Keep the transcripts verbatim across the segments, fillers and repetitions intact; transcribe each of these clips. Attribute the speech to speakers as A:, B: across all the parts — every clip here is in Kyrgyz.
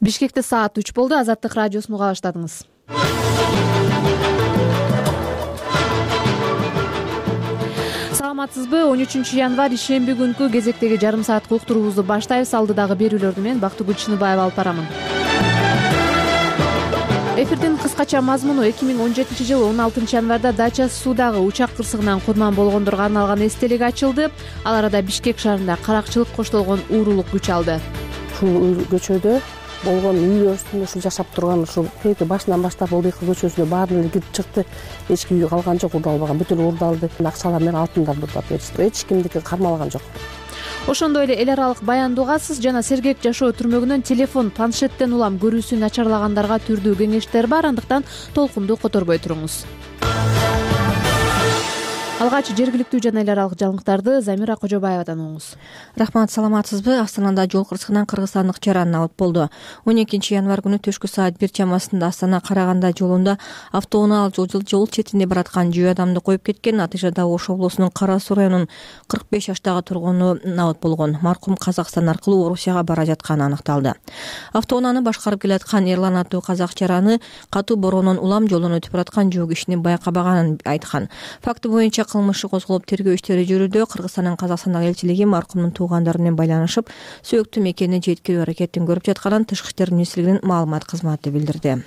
A: Бишкекте саат үч болду. Азаттык радиосун уга баштадыңыз. Саламатсызбы? он үчүнчү январь ишемби күнкү кезектеги жарым саат уктуруубузду баштайбыз. Алдыдагы берүүлөрдү мен Бактыгүл Чыныбаева алып барамын. Эфирдин кыскача мазмуну эки миң он жетинчи жылы он алтынчы январда Дача Суудагы учак кырсыгынан курман болгондорго арналган эстелик ачылды. Ал арада Бишкек шаарында каракчылык коштолгон уурулук күч алды.
B: Ушул көчөдө болгон үйлөр үстүндө ушул жашап турган ушул эки башынан баштап Улдыйкы көчөсүнө баарын эле кирип чыкты. Эч ким үй калган жок, урдалбаган, бүтүн урдалды. Акчалар менен алтындарды урдап беришти. Эч кимдики кармалган жок.
A: Ошондой эле эл аралык баянды угасыз жана сергек жашоо түрмөгүнөн телефон, планшеттен улам көрүүсү начарлагандарга түрдүү кеңештер бар, андыктан толкунду которбой туруңуз. Алгач жергиликтүү жана эл аралык жаңылыктарды Замира Кожобаевадан угуңуз.
C: Рахмат, саламатсызбы? Астанада жол кырсыгынан кыргызстандык жаран абыт болду. он экинчи январь күнү түшкү саат бир чамасында Астана Караганда жолунда автоунаал жол четинде бараткан жөө адамды коюп кеткен. Натыйжада Ош облусунун Кара Суу районунун кырк беш жаштагы тургуну абыт болгон. Маркум Казакстан аркылуу Орусияга бара жатканы аныкталды. Автоунааны башкарып келаткан Эрлан аттуу казак жараны катуу бороонун улам жолдон өтүп бараткан жөө кишини байкабаганын айткан. Факты боюнча кылмышы козголуп тергөө иштери жүрүүдө. Кыргызстандын Казакстандагы элчилиги маркумдун туугандары менен байланышып, сөөктүү мекенine жеткирүү аракетин көрүп жатканын Тышкы иштер министрлигинин маалымат кызматы билдирди.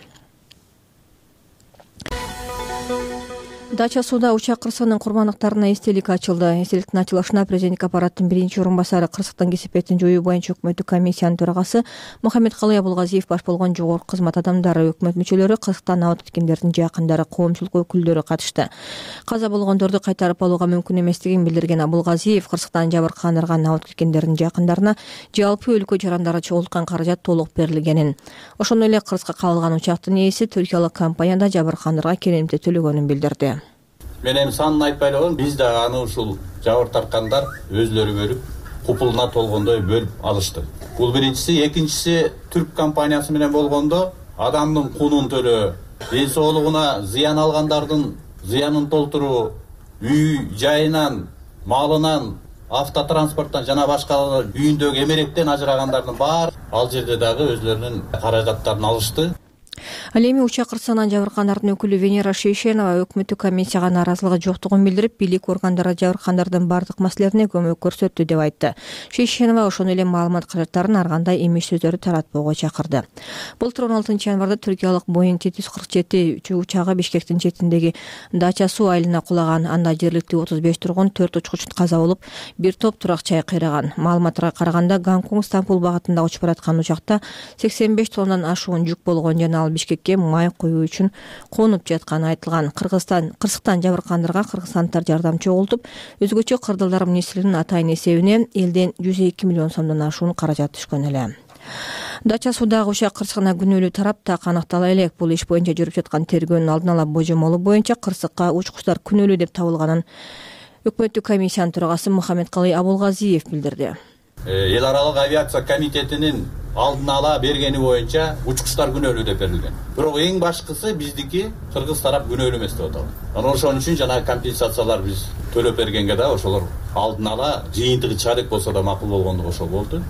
C: Дача Сууда учак кырсыгынын курмандыктарына эстелик ачылды. Эстеликтин ачылышына президенттик аппараттын биринчи орун басары, кырсыктын кесепетин жоюу боюнча өкмөттүк комиссиянын төрагасы Мухаммедкалый Абулгазиев баш болгон жогорку кызмат адамдары, өкмөт мүчөлөрү, кырсыктан абыт кеткендердин жакындары, коомчулук өкүлдөрү катышты. Каза болгондорду кайтарып алууга мүмкүн эместигин билдирген Абулгазиев кырсыктан жабыркагандарга, абыт кеткендердин жакындарына жалпы өлкө жарандары чогулткан каражат толук берилгенин, ошондой эле кырсыкка кабылган учактын ээси түркиялык компанияда жабыркагандарга керемти төлөгөнүн билдирди.
D: Мен эми санын айтпай эле, биз да аны ушул жабыр тарткандар өзлөрү бөлүп, купулуна толгондой бөлүп алышты. Бул биринчиси, экинчиси түрк компаниясы менен болгондо адамдын кунун төлөө, ден соолугуна зыян алгандардын зыянын толтуруу, үй жайынан, малынан, автотранспорттон жана башка үйүндөгү эмеректен ажырагандардын баары ал жерде дагы өзлөрүнүн каражаттарын алышты.
C: Ал эми учак кырсыгынан жабыркандардын өкүлү Венера Шейшенова өкмөттүк комиссияга нааразылыгы жоктугун билдирип, бийлик органдары жабыркандардын бардык маселелерине көмөк көрсөттү деп айтты. Шейшенова ошондой эле маалымат каражаттарын ар кандай эмиш сөздөрдү таратпоого чакырды. Былтыр он алтынчы январда түркиялык Боeing жети жүз кырк жети учагы Бишкектин четиндеги Дача Суу айылына кулаган. Анда жергиликтүү отуз беш тургун, төрт учкуч каза болуп, бир топ турак жай кыйраган. Маалыматка караганда Гонконг Стамбул багытында учуп бараткан учакта сексен беш тоннадан ашуун жүк болгон жана ал Бишкекке май коюу үчүн конуп жатканы айтылган. Кыргызстан кырсыктан жабыркандарга кыргызстандыктар жардам чогултуп, өзгөчө кырдалдар министринин атайын эсебине элден жүз эки миллион сомдон ашуун каражат түшкөн эле. Дача Суудагы учак кырсыгына күнөөлүү тарап так аныктала элек. Бул иш боюнча жүрүп жаткан тергөөнүн алдын ала божомолу боюнча кырсыкка учкучтар күнөөлүү деп табылганын өкмөттүк комиссиянын төрагасы Мухаммедкалый Абулгазиев билдирди.
D: Эл аралык авиация комитетинин алдын ала бергени боюнча учкучтар күнөөлүү деп берилген. Бирок эң башкысы биздики кыргыз тарап күнөөлүү эмес деп аталат. Анан ошон үчүн жана компенсациялар биз төлөп бергенге да ошолор алдын ала жыйынтыгы чарек болсо да макул болгондугу ошол болду.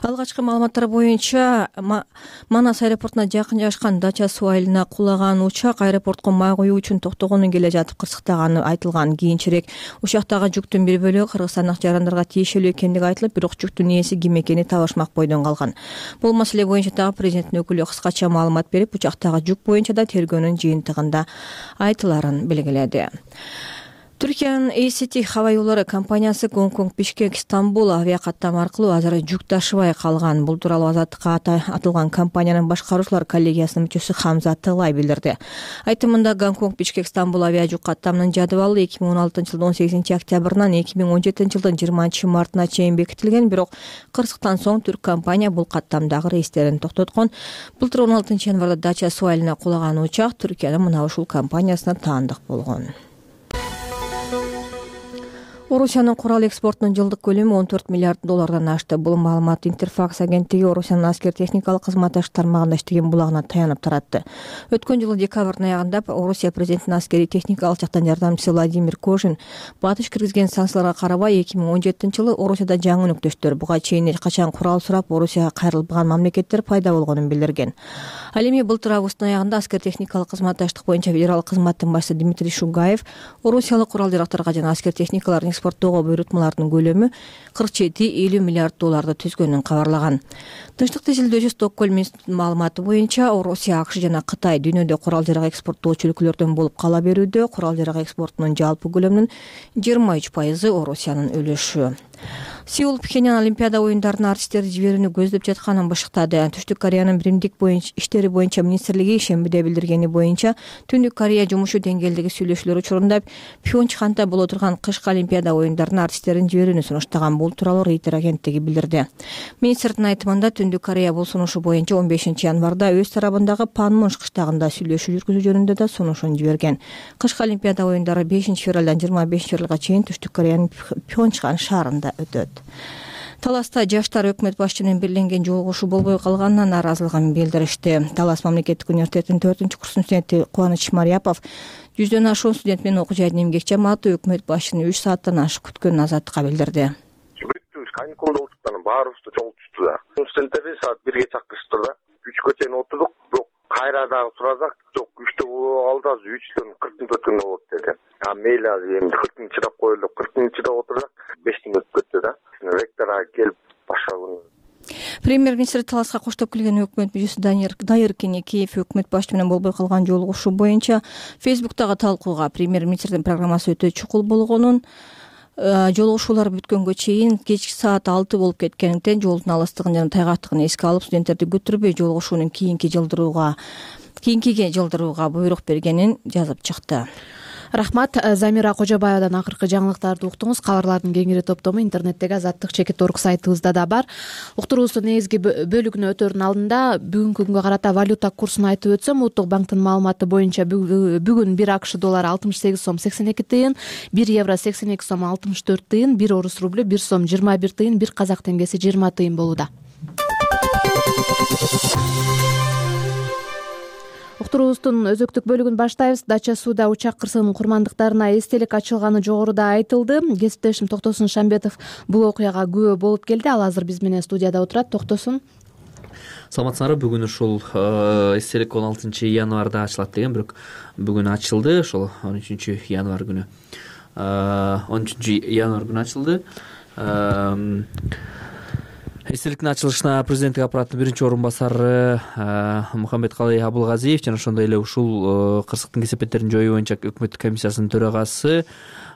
C: Алгачкы маалыматтар боюнча Манас аэропортуна жакын жайгашкан Дача Суу айылына кулаган учак аэропортко май коюу үчүн токтогону келе жатып кырсыктаганы айтылган. Кийинчерээк учактагы жүктүн бир бөлүгү кыргызстандык жарандарга тиешелүү экендиги айтылып, бирок жүктүн ээси ким экени табышмак бойдон калган. Бул маселе боюнча дагы президенттин өкүлү кыскача маалымат берип, учактагы жүк боюнча да тергөөнүн жыйынтыгында айтыларын белгиледи. Түркиянын эй си ти хаба юллары компаниясы Гонконг, Бишкек, Стамбул авиакаттам аркылуу азыр жүк ташыбай калган. Бул тууралуу Азаттыкка атылган компаниянын башкаруучулар коллегиясынын мүчөсү Хамза Тылай билдирди. Айтымында Гонконг, Бишкек, Стамбул авиажүк каттамынын жадыбалы эки миң он алтынчы жылдын он сегизинчи октябрынан эки миң он жетинчи жылдын жыйырманчы мартына чейин бекитилген, бирок кырсыктан соң түрк компания бул каттамдагы рейстерин токтоткон. Былтыр он алтынчы январда Дача Суу айылына кулаган учак Түркиянын мына ушул компаниясына таандык болгон. Орусиянын курал экспортунун жылдык көлөмү он төрт миллиард доллардан ашты. Бул маалымат Интерфакс агенттиги Орусиянын аскер техникалык кызматташ тармагында иштеген булагына таянып таратты. Өткөн жылы декабрдын аягында Орусия президентинин аскерий техникалык жактан жардамчысы Владимир Кожин батыш киргизген санкцияларга карабай эки миң он жетинчи жылы Орусияда жаңы өнөктөштөр, буга чейин эч качан курал сурап Орусияга кайрылбаган мамлекеттер пайда болгонун билдирген. Ал эми былтыр августтун аягында аскер техникалык кызматташтык боюнча федералдык кызматтын башчысы Дмитрий Шугаев Орусиялык курал-жарактарга жана аскер техникаларын экспорттоого буйрутмалардын көлөмү кырк жети элүү миллиард долларды түзгөнүн кабарлаган. Тынчтык тизилдөөчү Стокгольм институтунун маалыматы боюнча Орусия, АКШ жана Кытай дүйнөдө курал-жарак экспорттоочу өлкөлөрдөн болуп кала берүүдө. Курал-жарак экспортунун жалпы көлөмүнүн жыйырма үч пайызы Орусиянын үлүшү. Сеул Пхеньян Олимпиада оюндарына артисттерди жиберүүнү көздөп жатканын бышыктады. Түштүк Кореянын биримдик боюнча иштери боюнча министрлиги шембиде билдиргени боюнча Түндүк Корея жумушу деңгээлдеги сүйлөшүүлөр учурунда Пхенчханда боло турган кышкы Олимпиада оюндарына артисттерин жиберүүнү сунуштаган. Бул тууралуу Рейтер агенттиги билдирди. Министрдин айтымында Түндүк Корея бул сунушу боюнча он бешинчи январда өз тарабындагы Панмунж кыштагында сүйлөшүү жүргүзүү жөнүндө да сунушун жиберген. Кышкы Олимпиада оюндары бешинчи февралдан жыйырма бешинчи февралга чейин Түштүк Кореянын Пхенчхан шаарында өтөт. Таласта жаштар өкмөт башчынын белгиленген жолугушуу болбой калганына нааразылыгын билдиришти. Талас мамлекеттик университетинин төртүнчү курстун студенти Кубаныч Марияпов жүздөн ашуун студент менен окуу жайдын эмгек жамааты өкмөт башчыны үч сааттан ашык күткөнүн Азаттыкка билдирди.
E: Бүттүбүз каникулда отурдук, баарыбызды жолтушту да. Студенттерди саат бирге чакырышты да. үчкө чейин отурдук, бирок кайра дагы суразак, жок үчтө болуп алды, азыр үчтөн кырк мүнөттөн болот деди. А мейли азыр эми кырк мүнөт чыдап коелу, кырк мүнөт чыдап отурсак беш мүнөт өттү да. Ректорга келип баштаган.
C: Премьер-министр Таласка коштоп келген өкмөт мүчөсү Дайыр Кенекеев өкмөт башчы менен болбой калган жолугушуу боюнча Фейсбуктагы талкууга премьер-министрдин программасы өтө чукул болгонун, жолугушуулар бүткөнгө чейин кечки саат алты болуп кеткендиктен жолдун алыстыгын жана тайгактыгын эске алып студенттерди көтөрбөй жолугушуунун кийинки жылдырууга кийинкиге жылдырууга буйрук бергенин жазып чыкты.
A: Рахмат. Замира Кожобаевадан акыркы жаңылыктарды уктуңуз. Кабарлардын кеңири топтому интернеттеги азаттык чекит орг сайтыбызда да бар. Уктуруубуздун негизги бөлүгүнө өтөрдүн алдында бүгүнкү күнгө карата валюта курсун айтып өтсөм, Улуттук банктын маалыматы боюнча бүгүн бир АКШ доллары алтымыш сегиз сом сексен эки тыйын, бир евро сексен эки сом алтымыш төрт тыйын, бир орус рублю бир сом жыйырма бир тыйын, бир казак теңгеси жыйырма тыйын болууда. Уктуруубуздун өзөктүк бөлүгүн баштайбыз. Дача сууда учак кырсыгынын курмандыктарына эстелик ачылганы жогоруда айтылды. Кесиптешим Токтосун Шамбетов бул окуяга күбө болуп келди. Ал азыр биз менен студияда отурат. Токтосун.
F: Саламатсыңарбы? Бүгүн ушул эстелик он алтынчы январда ачылат деген, бирок бүгүн ачылды. Ошол он үчүнчү январ күнү. он үчүнчү январ күнү ачылды. Эстеликтин ачылышына президенттик аппараттын биринчи орун басары Мухаммедкалый Абылгазиев жана ошондой эле ушул кырсыктын кесепеттерин жоюу боюнча өкмөттүк комиссиясынын төрагасы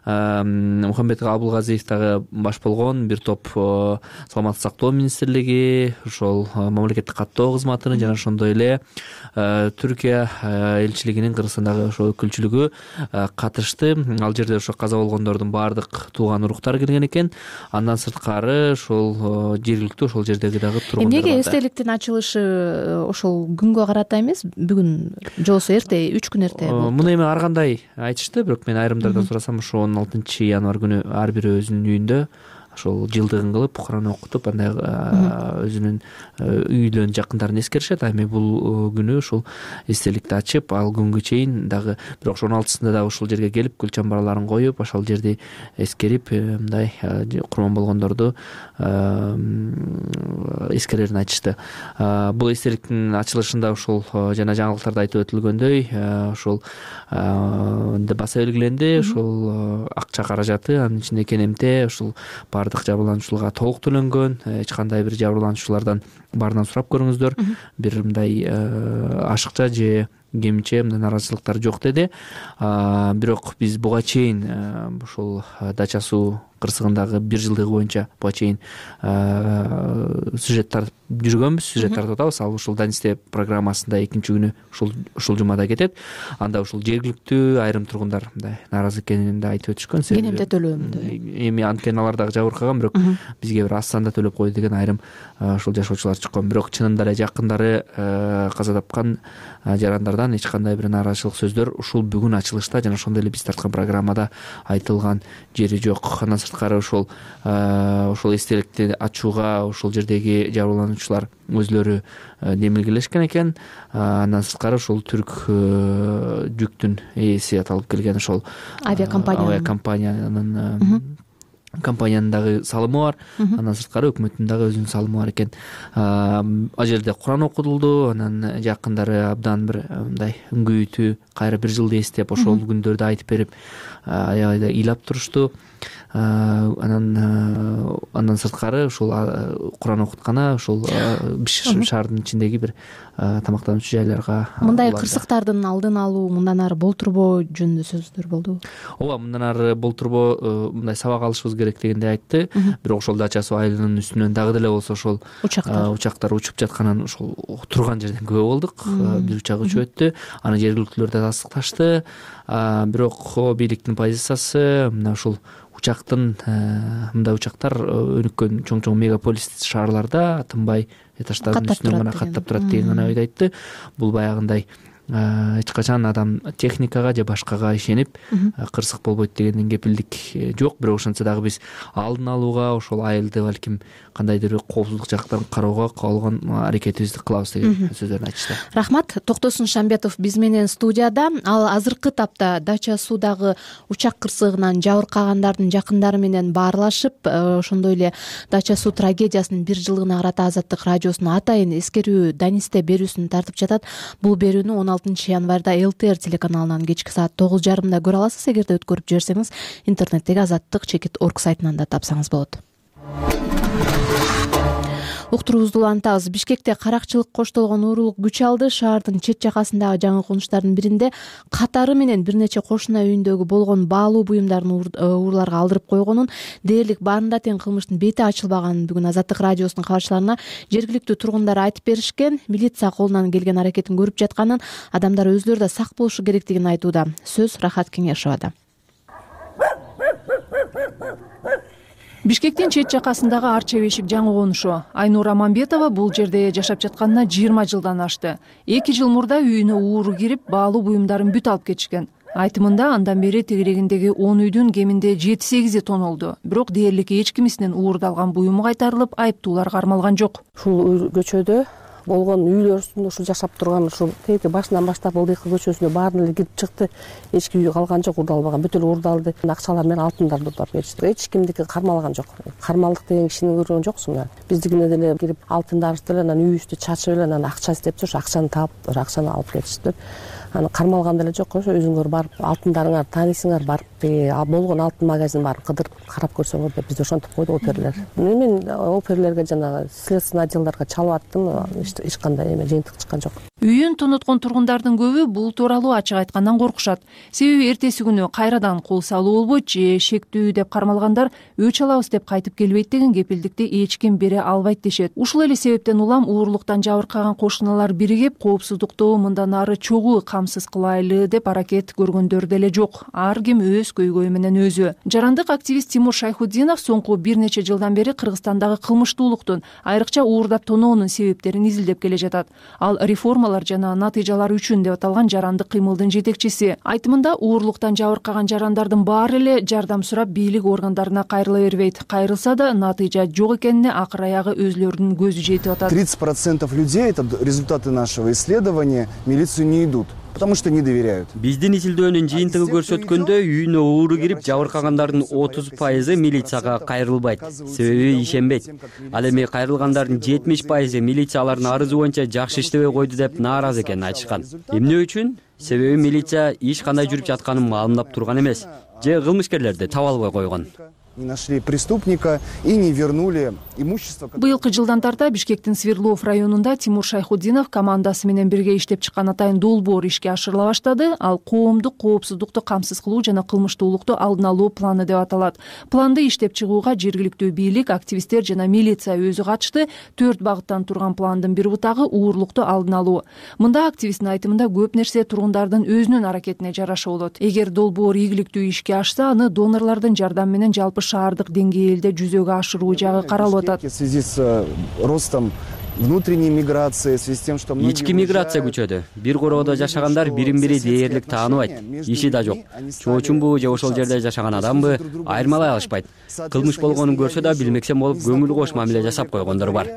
F: Мухаммед Абылгазиев дагы баш болгон бир топ саламаттык сактоо министрлиги, ошол мамлекеттик каттоо кызматынын жана ошондой эле Түркия элчилигинин Кыргызстандагы ошол өкүлчүлүгү катышты. Ал жерде ошо каза болгондордун баардык тууган уруктары кирген экен. Андан сырткары ошол жергиликтүү ошол жердеги дагы тургундар бар.
A: Эмнеге эстеликтин ачылышы ошол күнгө карата эмес, бүгүн жобосу эрте, үч күн эрте болду?
F: Муну эми ар кандай айтышты, бирок мен айрымдардан сурасам, ошо он алтынчы январ күнү ар бири өзүнүн үйүндө ошол жылдыгын кылып, Куран окутуп, андай өзүнүн үйлөрүнүн жакындарын эскеришет. А эми бул күнү ушул эстеликти ачып, ал күнгө чейин дагы, бирок ошонун алтысында дагы ушул жерге келип, гүл чамбарларын коюп, ошол жерди эскерип, мындай курман болгондорду эскерерин айтышты. Бул эстеликтин ачылышында ушул жана жаңылыктарда айтып өтүлгөндөй, ошол баса белгиленди, ушул акча каражаты, анын ичинде КНМТ ушул бардык жабырлануучуларга толук төлөнгөн, эч кандай бир жабырлануучулардан баарынан сурап көрүңүздөр, бир мындай ашыкча же кемче мындай нааразычылыктар жок деди. Бирок биз буга чейин ушул Дача суу кырсыгындагы бир жылдыгы боюнча буга чейин сюжет тартып жүргөнбүз, сюжет тартып атабыз. Ал ушул Данисте программасында экинчи күнү ушул ушул жумада кетет. Анда ушул жергиликтүү айрым тургундар мындай нааразы экенин да айтып өтүшкөн.
A: Кенемде төлөм.
F: Эми анткени алар дагы жабыркаган, бирок бизге бир аз санда төлөп койду деген айрым ушул жашоочулар чыккан. Бирок чынында эле жакындары каза тапкан жарандардан эч кандай бир нааразычылык сөздөр ушул бүгүн ачылышта жана ошондой эле биз тарткан программада айтылган жери жок. Андан сырткары ошол ошол эстеликти ачууга ошол жердеги жабырлануучулар өзлөрү демилгелешкен экен. Андан сырткары ошол түрк жүктүн ээси аталып келген ошол
A: авиакомпания
F: авиакомпаниянын компаниянын дагы салымы бар. Андан сырткары өкмөттүн дагы өзүнүн салымы бар экен. Ал жерде Куран окутулду. Анан жакындары абдан бир мындай үңгүйтүү кайра бир жылды эстеп ошол күндөрдү айтып берип аябай ыйлап турушту. Анан андан сырткары ушул Куран окуткана ушул Бишкек шаарынын ичиндеги бир тамактануучу жайларга
A: мындай кырсыктардын алдын алуу мындан ары болтурбоо жөнүндө сөздөр болду.
F: Ооба, мындан ары болтурбоо мындай сабак алышыбыз керек дегенди айтты. Бирок ошол Дача суу айылынын үстүнөн дагы деле болсо ошол учактар учуп жатканын ошол турган жерден күбө болдук. Бир учак учуп өттү. Аны жергиликтүүлөр да тастыкташты. Бирок бийликтин позициясы мына ушул учактын мындай учактар өнүккөн чоң-чоң мегаполис шаарларда тынбай этаждардын үстүнөн гана каттап турат деген гана ойду айтты. Бул баягындай эч качан адам техникага же башкага ишенип кырсык болбойт дегенден кепилдик жок. Бирок ошентсе дагы биз алдын алууга ошол айылды балким кандайдыр бир коопсуздук жактарын кароого калган аракетибизди кылабыз деген сөздөрүн айтышты.
A: Рахмат. Токтосун Шамбетов биз менен студияда. Ал азыркы тапта Дача суудагы учак кырсыгынан жабыркагандардын жакындары менен баарлашып, ошондой эле Дача суу трагедиясынын бир жылдыгына карата Азаттык радиосунун атайын эскерүү Данисте берүүсүн тартып жатат. Бул берүүнү он алтынчы январда эл тэ эр телеканалынан кечки саат тогуз жарымда көрө аласыз. Эгерде өткөрүп жиберсеңиз, интернеттеги азаттык чекит орг сайтынан да тапсаңыз болот. Уктуруубузду улантабыз. Бишкекте каракчылык коштолгон уурулук күч алды. Шаардын чет жакасындагы жаңы конуштардын биринде катары менен бир нече кошуна үйүндөгү болгон баалуу буюмдарын уурларга алдырып койгонун, дээрлик баарында тең кылмыштын бети ачылбаганын бүгүн Азаттык радиосунун кабарчыларына жергиликтүү тургундар айтып беришкен. Милиция колунан келген аракетин көрүп жатканын, адамдар өзлөрү да сак болушу керектигин айтууда. Сөз Рахат Кеңешовада.
G: Бишкектин чет жакасындагы Арча бешик жаңы конушу. Айнура Мамбетова бул жерде жашап жатканына жыйырма жылдан ашты. эки жыл мурда үйүнө ууру кирип, баалуу буюмдарын бүт алып кетишкен. Айтымында андан бери тегерегиндеги он үйдүн кеминде жети сегизи тонолду. Бирок дээрлик эч кимисинен уурдалган буюму кайтарылып, айыптуулар кармалган жок.
B: Ушул көчөдө болгон үйлөр үстүндө ушул жашап турган ушул тээки башынан баштап Ылдыйкы көчөсүнө баарын эле кирип чыкты. Эч үй калган жок, уурдалбаган, бүт эле уурдалды. Акчалар менен алтындарды уурдап кетишти. Эч кимдики кармалган жок. Кармалдык деген кишини көргөн жоксуң. Биздикине деле кирип алтындарыбызды эле анан үйүбүздү чачып эле анан акча издеп туруш, акчаны таап, акчаны алып кетишти. Аны кармалган деле жок. Ошо өзүңөр барып алтындарыңар таанисыңар, барып болгон алтын магазин барып кыдырып карап көрсөңөр деп бизди ошентип койду оперлер. Мен оперлерге жана следственный отделдарга чалып аттым. Эч кандай эме жыйынтык чыккан жок.
G: Үйүн тоноткон тургундардын көбү бул тууралуу ачык айткандан коркушат. Себеби эртеси күнү кайрадан кол салуу болбойт же шектүү деп кармалгандар өч алабыз деп кайтып келбейт деген кепилдикти эч ким бере албайт дешет. Ушул эле себептен улам уурулуктан жабыркаган кошуналар биригип, коопсуздукту мындан ары чогуу камсыз кылайлы деп аракет көргөндөр деле жок. Ар ким өз көйгөйү менен өзү. Жарандык активист Тимур Шайхутдинов соңку бир нече жылдан бери Кыргызстандагы кылмыштуулуктун, айрыкча уурдап тоноонун себептерин изилдеп келе жатат. Ал реформалар жана натыйжалар үчүн деп аталган жарандык кыймылдын жетекчиси. Айтымында уурулуктан жабыркаган жарандардын баары эле жардам сурап бийлик органдарына кайрыла бербейт. Кайрылса да натыйжа жок экенине акыр аягы өзлөрүнүн көзү жетип атат.
H: тридцать процентов людей, это результаты нашего исследования, милицию не идут. Потому что не доверяют.
I: Биздин изилдөөнүн жыйынтыгы көрсөткөндөй, үйүнө ууру кирип жабыркагандардын отуз пайызы милицияга кайрылбайт, себеби ишенбейт. Ал эми кайрылгандардын жетимиш пайызы милиция алардын арызы боюнча жакшы иштебей койду деп нааразы экенин айтышкан. Эмне үчүн? Себеби милиция иш кандай жүрүп жатканын маалымдап турган эмес, же кылмышкерлерди таба албай койгон.
H: Не нашли преступника и не вернули имущество.
G: Быйылкы жылдан тарта Бишкектин Свердлов районунда Тимур Шайхутдинов командасы менен бирге иштеп чыккан атайын долбоор ишке ашырыла баштады. Ал коомдук коопсуздукту камсыз кылуу жана кылмыштуулукту алдын алуу планы деп аталат. Планды иштеп чыгууга жергиликтүү бийлик, активисттер жана милиция өзү катышты. Төрт багыттан турган пландын бир бутагы уурулукту алдын алуу. Мында активисттин айтымында көп нерсе тургундардын өзүнүн аракетине жараша болот. Эгер долбоор ийгиликтүү ишке ашса, аны донорлордун жардамы менен жалпы шаардык деңгээлде жүзөгө ашыруу жагы каралып атат.
H: В связи с ростом внутренней миграции в связи с тем, что многие
I: ички миграция күчөдү. Бир короодо жашагандар бирин бири дээрлик тааныбайт, иши да жок. Чоочунбу же ошол жерде жашаган адамбы айырмалай алышпайт. Кылмыш болгонун көрсө да билмексем болуп көңүл кош мамиле жасап койгондор бар.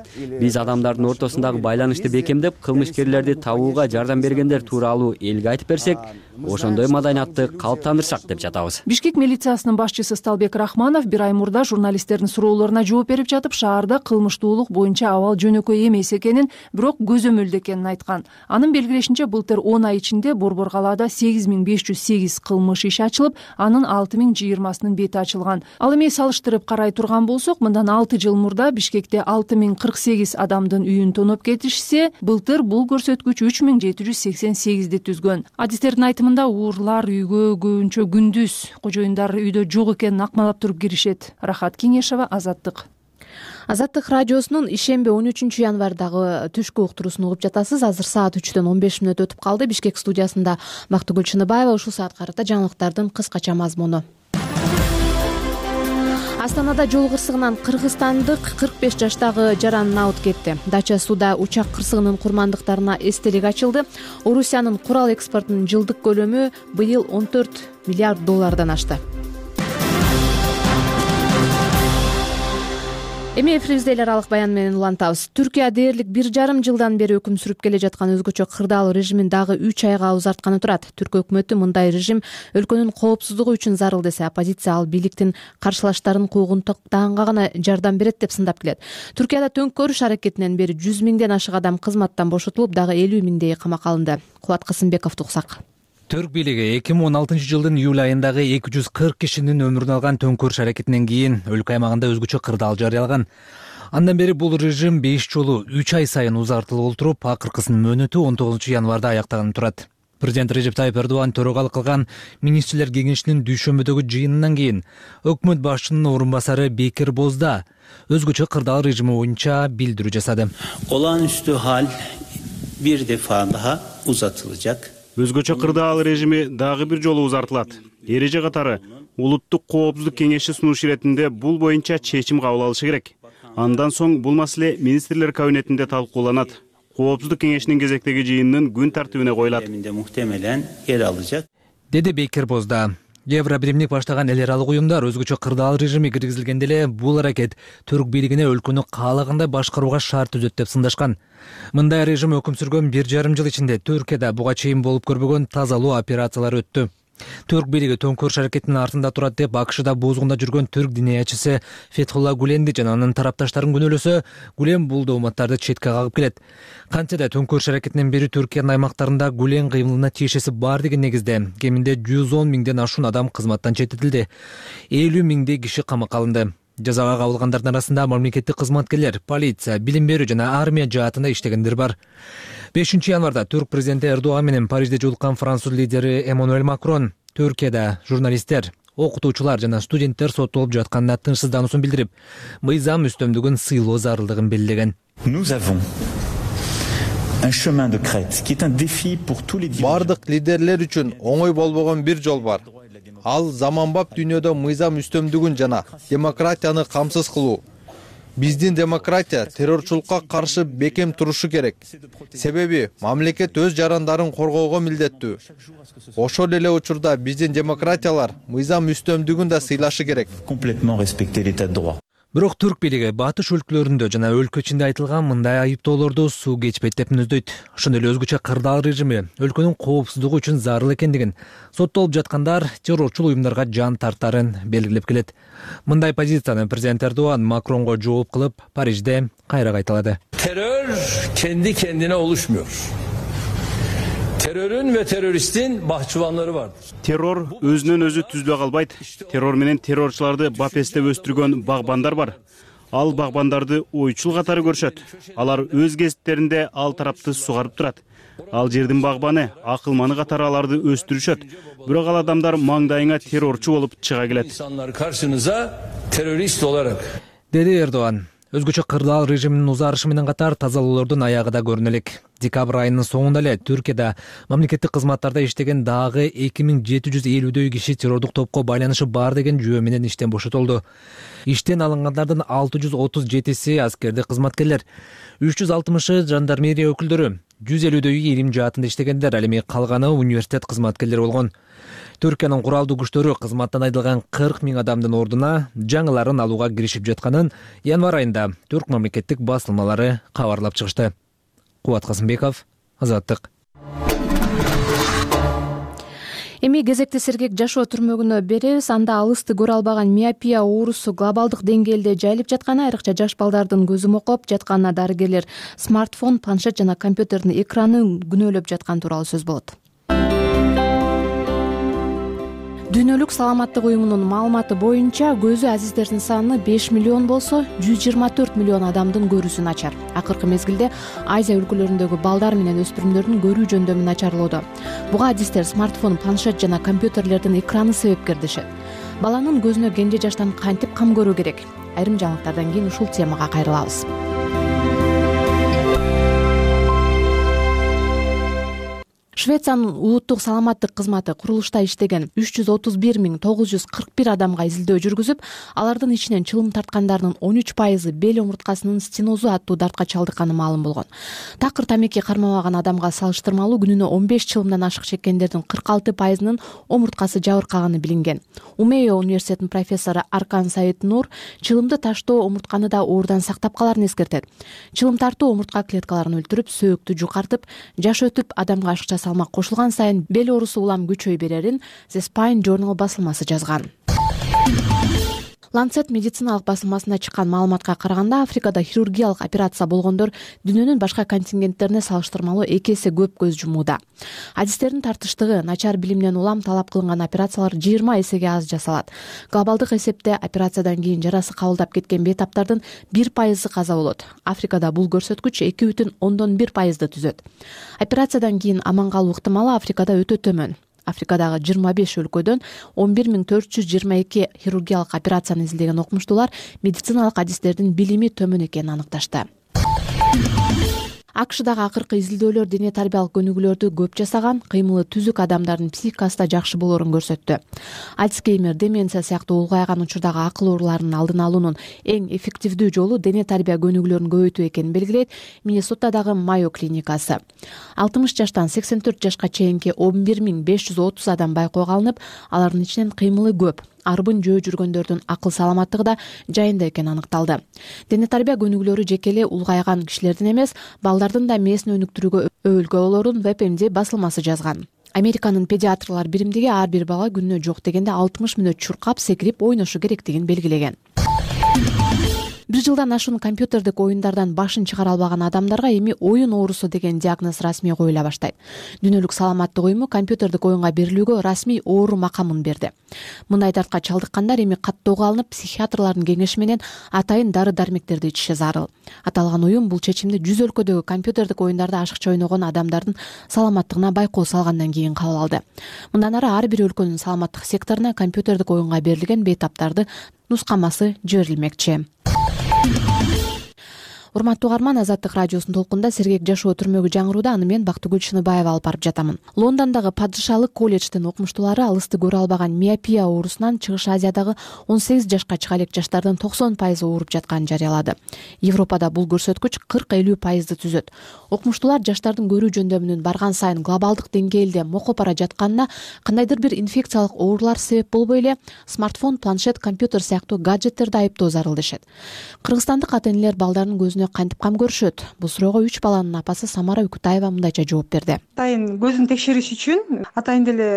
I: Биз адамдардын ортосундагы байланышты бекемдеп, кылмышкерлерди табууга жардам бергендер тууралуу элге айтып берсек, ошондой маданиятты калыптандырсак деп жатабыз.
G: Бишкек милициясынын башчысы Сталбек Рахманов бир ай мурда журналисттердин суроолоруна жооп берип жатып, шаарда кылмыштуулук боюнча абал жөнөкөй эмес экенин, бирок көзөмөлдө экенин айткан. Анын белгилешинче, былтыр он ай ичинде Борбор калаада сегиз миң беш жүз сегиз кылмыш иши ачылып, анын алты миң жыйырмасынын бети ачылган. Ал эми салыштырып карай турган болсок, мындан алты жыл мурда Бишкекте алты миң кырк сегиз адамдын үйүн тоноп кетишсе, былтыр бул көрсөткүч үч миң жети жүз сексен сегизди түзгөн. Адистердин айтымында уурлар үйгө көбүнчө күндүз, кожоюндар үйдө жок экенин акмалап туруп киришет. Рахат Кеңешова, Азаттык.
A: Азаттык радиосунун ишемби он үчүнчү январдагы түшкү уктуруусун угуп жатасыз. Азыр саат үчтөн он беш мүнөт өтүп калды. Бишкек студиясында Бактыгүл Чыныбаева. Ушул саатка карата жаңылыктардын кыскача мазмуну. Астанада жол кырсыгынан кыргызстандык кырк беш жаштагы жаран наут кетти. Дача сууда учак кырсыгынын курмандыктарына эстелик ачылды. Орусиянын курал экспортунун жылдык көлөмү быйыл он төрт миллиард доллардан ашты. Эми эфирибизде эл аралык баян менен улантабыз. Түркия дээрлик бир жарым жылдан бери өкүм сүрүп келе жаткан өзгөчө кырдаал режимин дагы үч айга узартканы турат. Түрк өкмөтү мындай режим өлкөнүн коопсуздугу үчүн зарыл десе, оппозиция ал бийликтин каршылаштарын куугунтуктаганга гана жардам берет деп сындап келет. Түркияда төңкөрүш аракетинен бери жүз миңден ашык адам кызматтан бошотулуп, дагы элүү миңдейи камакка алынды. Кубат Касымбековду уксак.
J: Түрк бийлиги эки миң он алтынчы жылдын июль айындагы эки жүз кырк кишинин өмүрүн алган төңкөрүш аракетинен кийин өлкө аймагында өзгөчө кырдаал жарыялаган. Андан бери бул режим беш жолу үч ай сайын узартылып отуруп, акыркысынын мөөнөтү он тогузунчу январда аяктаганы турат. Президент Режеп Тайып Эрдоган төрагалык кылган министрлер кеңешинин дүйшөмбөдөгү жыйынынан кийин өкмөт башчынын орун басары Бекир Бозда өзгөчө кырдаал режими боюнча билдирүү жасады.
K: Olağanüstü hal bir defa daha uzatılacak.
L: Өзгөчө кырдаал режими дагы бир жолу узартылат. Эреже катары улуттук коопсуздук кеңеши сунуш иретинде бул боюнча чечим кабыл алышы керек. Андан соң бул маселе министрлер кабинетинде талкууланат. Коопсуздук кеңешинин кезектеги жыйынынын күн тартибине коюлат.
K: Muhtemelen yer alacak.
J: Деди Бекир Бозда. Евробиримдик баштаган эл аралык уюмдар өзгөчө кырдаал режими киргизилгенде эле бул аракет түрк бийлигине өлкөнү каалагандай башкарууга шарт түзөт деп сындашкан. Мындай режим өкүм сүргөн бир жарым жыл ичинде Түркияда буга чейин болуп көрбөгөн тазалоо операциялары өттү. Түрк бийлиги төңкөрүш аракетинин артында турат деп АКШда бузгунда жүргөн түрк диниячысы Фетхулла Гуленди жана анын тарапташтарын күнөөлөсө, Гулен бул дооматтарды четке кагып келет. Кантсе да төңкөрүш аракетинен бери Түркиянын аймактарында Гулен кыймылына тиешеси бар деген негизде кеминде жүз он миңден ашуун адам кызматтан четтетилди. элүү миңдей киши камакка алынды. Жазага кабылгандардын арасында мамлекеттик кызматкерлер, полиция, билим берүү жана армия жаатында иштегендер бар. бешинчи январда түрк президенти Эрдоган менен Парижде жолуккан француз лидери Эммануэль Макрон Түркияда журналисттер, окутуучулар жана студенттер соттолуп жатканына тынчсыздануусун билдирип, мыйзам үстөмдүгүн сыйлоо зарылдыгын белгилеген.
M: Бардык лидерлер үчүн оңой болбогон бир жол бар. Ал заманбап дүйнөдө мыйзам үстөмдүгүн жана демократияны камсыз кылуу. Биздин демократия террорчулукка каршы бекем турушу керек. Себеби мамлекет өз жарандарын коргоого милдеттүү. Ошол эле учурда биздин демократиялар мыйзам үстөмдүгүн да сыйлашы керек.
J: Бирок түрк бийлиги батыш өлкөлөрүндө жана өлкө ичинде айтылган мындай айыптоолорду суу кечпейт деп мүнөздөйт. Ошондой эле өзгөчө кырдаал режими өлкөнүн коопсуздугу үчүн зарыл экендигин, соттолуп жаткандар террорчул уюмдарга жан тартарын белгилеп келет. Мындай позицияны президент Эрдоган Макронго жооп кылып, Парижде кайра кайталады.
N: Terör kendi kendine oluşmuyor. Terörün ve teröristin bahçıvanları vardır.
L: Terror өзүнөн өзү түзүлө калбайт. Террор менен террорчуларды бапестеп өстүргөн багбандар бар. Ал багбандарды ойчул катары көрүшөт. Алар өз кесиптеринде ал тарапты сугарып турат. Ал жердин багбаны, акылманы катары аларды өстүрүшөт. Бирок ал адамдар маңдайыңа террорчу болуп чыга келет.
N: İnsanlar karşınıza terörist olarak.
J: Деди Эрдоган. Өзгөчө кырдаал режиминин узарышы менен катар тазалоолордун аягы да көрүнө элек. Декабрь айынын соңунда эле Түркияда мамлекеттик кызматтарда иштеген дагы эки миң жети жүз элүүдөй киши террордук топко байланышы бар деген жүйө менен иштен бошотулду. Иштен алынгандардын алты жүз отуз жетиси аскердик кызматкерлер, үч жүз алтымышы жандармерия өкүлдөрү, жүз элүүдөйү илим жаатында иштегендер, ал эми калганы университет кызматкерлери болгон. Түркиянын куралдуу күчтөрү кызматтан айдалган кырк миң адамдын ордуна жаңыларын алууга киришип жатканын январь айында түрк мамлекеттик басылмалары кабарлап чыгышты. Кубат Касымбеков, Азаттык.
A: Эми кезекти сергек жашоо түрмөгүнө беребиз. Анда алысты көрө албаган миопия оорусу глобалдык деңгээлде жайылып жатканы, айрыкча жаш балдардын көзү мокоп жатканына дарыгерлер смартфон, планшет жана компьютердин экранын күнөөлөп жатканы тууралуу сөз болот. Дүйнөлүк саламаттык уюмунун маалыматы боюнча көзү азиздердин саны беш миллион болсо, жүз жыйырма төрт миллион адамдын көрүүсү начар. Акыркы мезгилде Азия өлкөлөрүндөгү балдар менен өспүрүмдөрдүн көрүү жөндөмү начарлоодо. Буга адистер смартфон, планшет жана компьютерлердин экраны себепкер дешет. Баланын көзүнө кенже жаштан кантип кам көрүү керек? Айрым жаңылыктардан кийин ушул темага кайрылабыз. Швециянын улуттук саламаттык кызматы курулушта иштеген үч жүз отуз бир миң тогуз жүз кырк бир адамга изилдөө жүргүзүп, алардын ичинен чылым тарткандардын он үч пайызы бел омурткасынын стенозу аттуу дартка чалдыкканы маалым болгон. Такыр тамеки кармабаган адамга салыштырмалуу күнүнө он беш чылымдан ашык чеккендердин кырк алты пайызынын омурткасы жабыркаганы билинген. Умейо университетинин профессору Аркан Саид Нур чылымды таштоо омуртканы да оорудан сактап каларын эскертет. Чылым тартуу омуртка клеткаларын өлтүрүп, сөөктү жукартып, жаш өтүп адамга ашыкча салмак кошулган сайын бел оорусу улам күчөй берерин The Spine Journal басылмасы жазган. Lancet медициналык басылмасына чыккан маалыматка караганда, Африкада хирургиялык операция болгондор дүйнөнүн башка контингенттерине салыштырмалуу эки эсе көп көз жумууда. Адистердин тартыштыгы, начар билимден улам талап кылынган операциялар жыйырма эсеге аз жасалат. Глобалдык эсепте операциядан кийин жарасы кабылдап кеткен бейтаптардын бир пайызы каза болот. Африкада бул көрсөткүч эки бүтүн ондон бир пайызды түзөт. Операциядан кийин аман калуу ыктымалы Африкада өтө төмөн. Африкадагы жыйырма беш өлкөдөн он бир миң төрт жүз жыйырма эки хирургиялык операцияны изилдеген окумуштуулар медициналык адистердин билими төмөн экенин аныкташты. АКШдагы акыркы изилдөөлөр дене тарбиялык көнүгүүлөрдү көп жасаган, кыймылы түзүк адамдардын психикасы да жакшы болоорун көрсөттү. Альцгеймер, деменция сыяктуу улгайган учурдагы акыл ооруларынын алдын алуунун эң эффективдүү жолу дене тарбия көнүгүүлөрүн көбөйтүү экенин белгилейт Миннесотадагы Майо клиникасы. алтымыш жаштан сексен төрт жашка чейинки он бир миң беш жүз отуз адам байкоого алынып, алардын ичинен кыймылы көп, арбын жөө жүргөндөрдүн акыл саламаттыгы да жайында экени аныкталды. Дене тарбия көнүгүүлөрү жеке эле улгайган кишилердин эмес, балдардын да мээсин өнүктүрүүгө өбөлгө болоорун WebMD басылмасы жазган. Американын педиатрлар биримдиги ар бир бала күнүнө жок дегенде алтымыш мүнөт чуркап, секирип ойношу керектигин белгилеген. Бир жылдан ашуун компьютердик оюндардан башын чыгара албаган адамдарга эми оюн оорусу деген диагноз расмий коюла баштайт. Дүйнөлүк саламаттык уюму компьютердик оюнга берилүүгө расмий оору макамын берди. Мындай дартка чалдыккандар эми каттоого алынып, психиатрлардын кеңеши менен атайын дары-дармектерди ичиши зарыл. Аталган уюм бул чечимди жүз өлкөдөгү компьютердик оюндарда ашыкча ойногон адамдардын саламаттыгына байкоо салгандан кийин кабыл алды. Мындан ары ар бир өлкөнүн саламаттык секторуна компьютердик оюнга берилген бейтаптарды нускамасы жиберилмекчи. Урматтуу угарман, Азаттык радиосунун толкунда сергек жашоо түрмөгү жаңырууда, аны мен Бактыгүл Чыныбаева алып барып жатамын. Лондондогу падышалык колледждин окумуштуулары алысты көрө албаган миопия оорусунан Чыгыш Азиядагы он сегиз жашка чыга элек жаштардын токсон пайызы ооруп жатканын жарыялады. Европада бул көрсөткүч кырк элүү пайызды түзөт. Окумуштуулар жаштардын көрүү жөндөмүнүн барган сайын глобалдык деңгээлде мокоп бара жатканына, кандайдыр бир инфекциялык оорулар себеп болбой эле смартфон, планшет, компьютер сыяктуу гаджеттерди айыптоо зарыл дешет. Кыргызстандык ата-энелер балдарынын көзүнө кантип кам көрүшөт? Бул суроого үч баланын апасы Самара Үкүтаева мындайча жооп берди.
O: Атайын көзүн текшериш үчүн атайын деле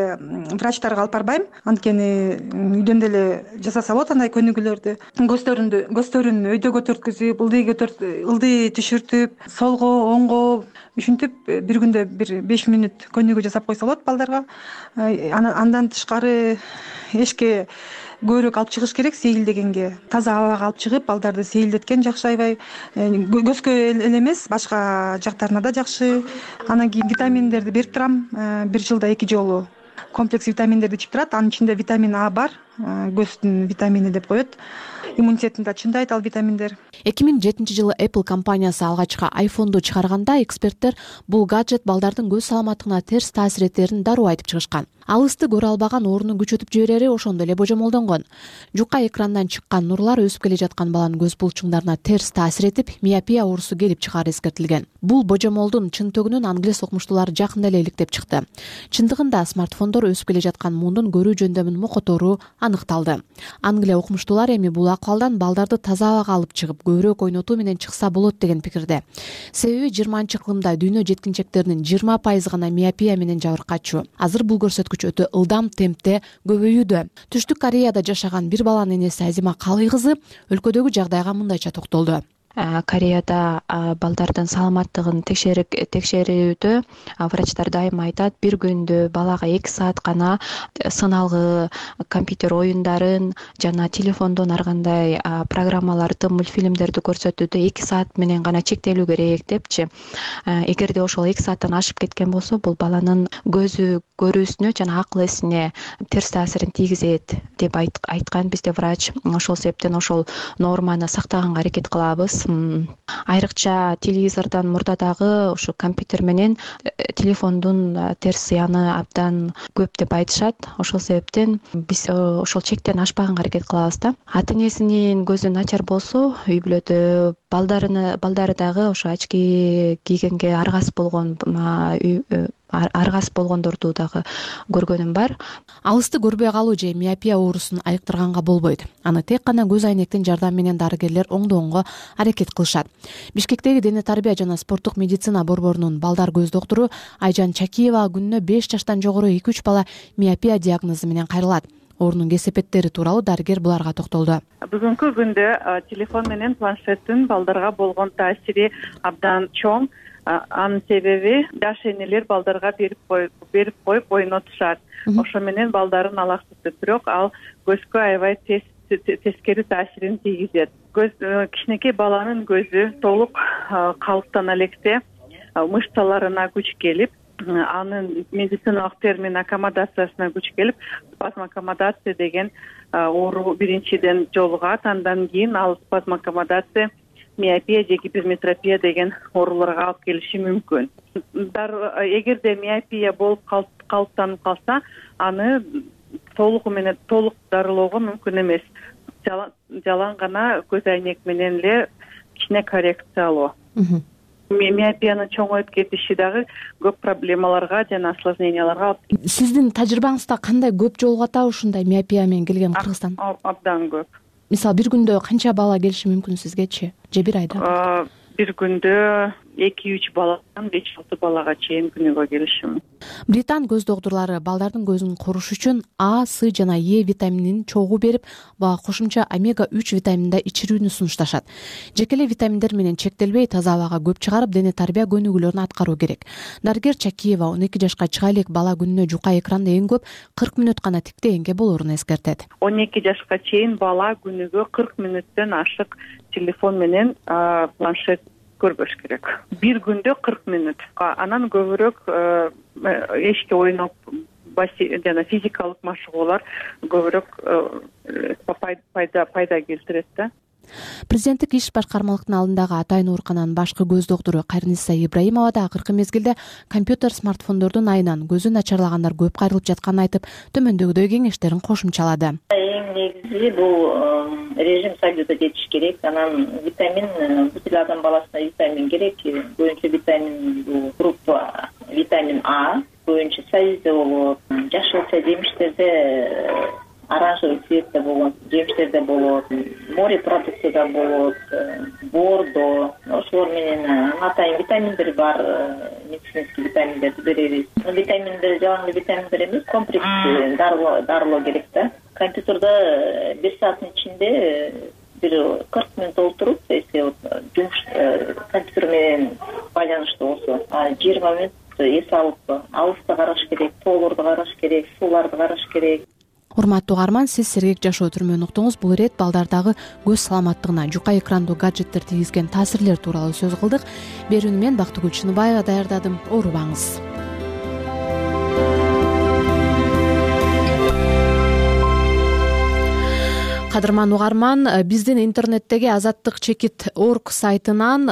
O: врачтарга алып барбайм. Анткени үйдөн деле жасаса болот андай көнүгүүлөрдү. Көздөрүндү, көздөрүн өйдөгө төрткүзүп, ылдыйга ылдый түшүртүп, солго, оңго ушинтип бир күндө бир беш мүнөт көнүгүү жасап койсо болот балдарга. Андан тышкары эшикке көбүрөөк алып чыгыш керек, сейилдегенге. Таза абага алып чыгып, балдарды сейилдеткен жакшы аябай. Көзгө эле эмес, башка жактарына да жакшы. Анан кийин витаминдерди берип турам. Бир жылда эки жолу комплекс витаминдерди ичип турат. Анын ичинде витамин А бар, көздүн витамини деп коет. иммунитетин да чындайт ал витаминдер.
A: эки миң жетинчи жылы Apple компаниясы алгачкы айфонду чыгарганда эксперттер бул гаджет балдардын көз саламаттыгына терс таасир этерин дароо айтып чыгышкан. Алысты көрө албаган оорууну күчөтүп жиберери ошондой эле божомолдонгон. Жука экрандан чыккан нурлар өсүп келе жаткан баланын көз булчуңдарына терс таасир этип, миопия оорусу келип чыгаары эскертилген. Бул божомолдун чынтөгүнүн англис окумуштуулары жакында эле иликтеп чыкты. Чындыгында смартфондор өсүп келе жаткан мундун көрүү жөндөмүн мокотору аныкталды. Англия окумуштуулары эми бул акыбалдан балдарды таза абага алып чыгып, көбүрөөк ойнотуу менен чыкса болот деген пикирде. Себеби жыйырманчы кылымда дүйнө жеткинчектеринин жыйырма пайызы гана миопия менен жабыркачу. Азыр бул көрсөткүч өтө ылдам темпте көбөйүүдө. Түштүк Кореяда жашаган бир баланын энеси Азима Калый кызы өлкөдөгү жагдайга мындайча токтолду.
P: Кореяда балдардын саламаттыгын текшерүүдө врачтар дайыма айтат, бир күндө балага эки саат гана сыналгы компьютер оюндарын жана телефондон ар кандай программаларды, мультфильмдерди көрсөтүүдө эки саат менен гана чектелүү керек депчи. Эгерде ошол эки сааттан ашып кеткен болсо, бул баланын көзү көрүүсүнө жана акыл эсине терс таасирин тийгизет деп айткан бизде врач. Ошол себептен ошол норманы сактаганга аракет кылабыз. Айрыкча телевизордон мурда дагы ошо компьютер менен телефондун терс зыяны абдан көп деп айтышат. Ошол себептен биз ошол чектен ашпаганга аракет кылабыз да. Ата энесинин көзү начар болсо, үй бүлөдө балдарыны балдары дагы ошо очки кийгенге аргас болгон аргас болгондорду дагы көргөнүм бар.
A: Алысты көрбөй калуу же миопия оорусун айыктырганга болбойт. Аны тек гана көз айнектин жардамы менен дарыгерлер оңдоого аракет кылышат. Бишкектеги дене тарбия жана спорттук медицина борборунун балдар көз доктуру Айжан Чакиева күнүнө беш жаштан жогору эки үч бала миопия диагнозу менен кайрылат. Оорунун кесепеттери тууралуу дарыгер буларга токтолду.
Q: Бүгүнкү күндө телефон менен планшеттин балдарга болгон таасири абдан чоң. Анын себеби жаш энелер балдарга берип коюп берип коюп ойнотушат. Ошо менен балдарын алаксытып, бирок ал көзгө аябай тескери таасирин тийгизет. Көз кичинекей баланын көзү толук калыптана электе мышцаларына күч келип, анын медициналык термин аккомодациясына күч келип, спазмаккомодация деген оору биринчиден жолугат. Андан кийин ал спазмаккомодация миопия же гиперметропия деген ооруларга алып келиши мүмкүн. Эгерде миопия болуп калыптанып калса, аны толугу менен толук дарылоого мүмкүн эмес. Жалаң гана көз айнек менен эле кичине коррекциялоо. Миопиянын чоңоюп кетиши дагы көп проблемаларга жана осложненияларга алып келет.
A: Сиздин тажрыйбаңызда кандай көп жолугат ушундай миопия менен келген Кыргызстан?
Q: Абдан көп.
A: Мисалы бир күндө канча бала келиши мүмкүн сизгечи? Же бир айда?
Q: Бир күндө эки үч баладан беш алты балага чейин күнүгө келиши мүмкүн.
A: Британ көз доктурлары балдардын көзүн коруш үчүн А, С жана Е витаминин чогуу берип, бага кошумча омега үч витаминин да ичирүүнү сунушташат. Жеке эле витаминдер менен чектелбей, таза абага көп чыгарып, дене тарбия көнүгүүлөрүн аткаруу керек. Дарыгер Чакиева он эки жашка чыга элек бала күнүнө жука экранда эң көп кырк мүнөт гана тиктегенге болоорун эскертет.
Q: он эки жашка чейин бала күнүгө кырк мүнөттөн ашык телефон менен планшет көрбөш керек. Бир күндө кырк мүнөт. Анан көбүрөөк эшикте ойноп, жана физикалык машыгуулар көбүрөөк пайда пайда келтирет да.
A: Президенттик иш башкармалыктын алдындагы атайын оорукананын башкы көз доктору Кайрниса Ибраимова да акыркы мезгилде компьютер, смартфондордун айынан көзү начарлагандар көп кайрылып жатканын айтып, төмөндөгүдөй кеңештерин кошумчалады.
R: Эң негизи бул режим соблюдать этиш керек. Анан витамин, бүт адам баласына витамин керек. Көбүнчө витамин бул группа витамин А, көбүнчө союзда болот. Жашылча жемиштерде оранжевый цветте болот, жемиштерде болот, море продуктыда болот, бордо, ошолор менен атайын витаминдер бар, медицинский витаминдерди беребиз. Витаминдер жалаң витаминдер эмес, комплекс дарылоо керек да. Компьютерде бир сааттын ичинде бир кырк мүнөт отуруп, если жумуш компьютер менен байланыштуу болсо, жыйырма мүнөт эс алып, алысты караш керек, тоолорду караш керек, сууларды караш керек.
A: Урматтуу угарман, сиз сергек жашоо түрмөн уктуңуз. Бул ирет балдардагы көз саламаттыгына жука экрандуу гаджеттер тийгизген таасирлер тууралуу сөз кылдык. Берүүнү мен Бактыгүл Чыныбаева даярдадым. Оорубаңыз. кадырман угарман, биздин интернеттеги азаттык чекит орг сайтынан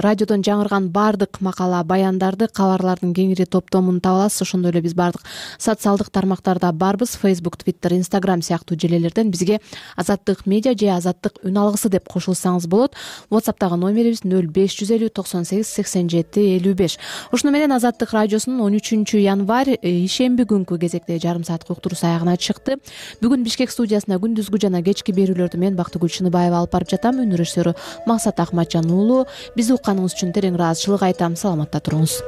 A: радиодон жаңырган баардык макала, баяндарды, кабарлардын кеңири топтомун таба аласыз. Ошондой эле биз баардык социалдык тармактарда барбыз. Facebook, Twitter, Instagram сыяктуу желелерден бизге Азаттык медиа же Азаттык үн алгысы деп кошулсаңыз болот. WhatsApp'тагы номерибиз нөл беш жүз элүү токсон сегиз сексен жети элүү беш. Ошону менен Азаттык радиосунун он үчүнчү январь ишемби күнкү кезекте жарым сааттык уктуруусу аягына чыкты. Бүгүн Бишкек студиясына күндүзгү жана кечки берүүлөрдү мен Бактыгүл Чыныбаева алып барып жатам. Үн режиссеру Максат Акматжан уулу. Бизди укканыңыз үчүн терең ыраазычылык айтам. Саламатта туруңуз.